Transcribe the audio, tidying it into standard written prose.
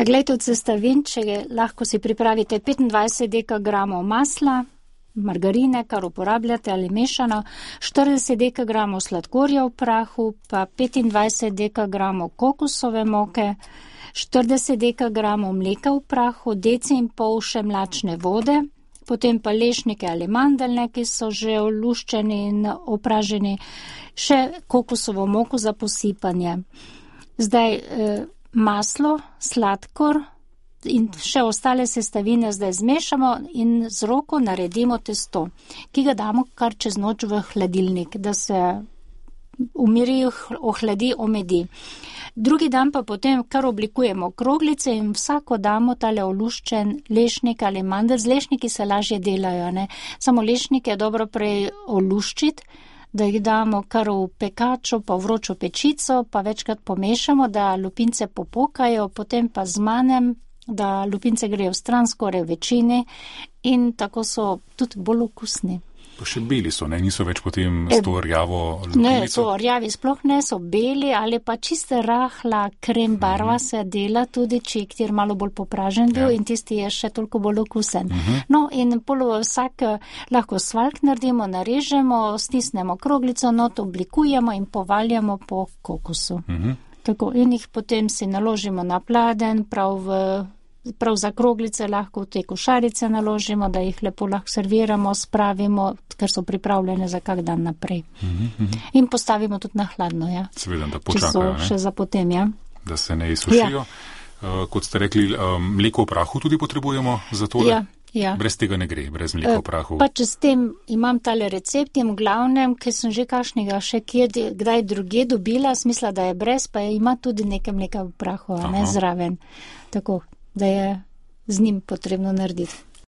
Glejte, od sestavin, če lahko si pripravite 25 dekagramov masla, margarine, kar uporabljate ali mešano, 40 dekagramov sladkorja v prahu, pa 25 dekagramov kokosove moke, 40 dekagramov mleka v prahu, deci in pol še mlačne vode, potem pa lešnike ali mandeljne, ki so že oluščeni in opraženi, še kokosovo moko za posipanje. Zdaj maslo, sladkor in še ostale sestavine zdaj zmešamo in z roko naredimo testo, ki ga damo kar čez noč v hladilnik, da se umiri, ohladi, omedi. Drugi dan pa potem kar oblikujemo kroglice in vsako damo tale oluščen lešnik ali mandelj. Z lešniki se lažje delajo, ne? Samo lešnike je dobro prej oluščiti, da jih damo kar v pekačo, pa v vročo pečico, pa večkrat pomešamo, da lupince popokajo, potem pa zmanem, da lupince grejo stran skoraj v večini in tako so tudi bolj okusni. Pa še beli so, ne? Niso več potem s to rjavo lupinico? Ne, to rjavi sploh ne, so beli ali pa čiste rahla krem barva se dela tudi, če je malo bolj popražen bil in tisti je še toliko bolj okusen. No in vsak lahko svaljk naredimo, narežemo, stisnemo kroglico, not oblikujemo in povaljamo po kokosu. Tako, in jih potem si naložimo na pladenj, prav za kroglice lahko v te košarice naložimo, da jih lepo lahko serviramo, spravimo, ker so pripravljene za kak dan naprej. In postavimo tudi na hladno, ja. Seveda, da počakajo, ne? Še za potem, ja. Da se ne izsušijo. Kot ste rekli, mleko v prahu tudi potrebujemo za tole? Ja. Brez tega ne gre, brez mleka v prahu. Pa če s tem imam tale recept in v glavnem, ker sem že kakšnega še kdaj druge dobila, smisla, da je brez, pa ima tudi nekaj mleka v prahu, ne, zraven. Tako, da je z njim potrebno narediti.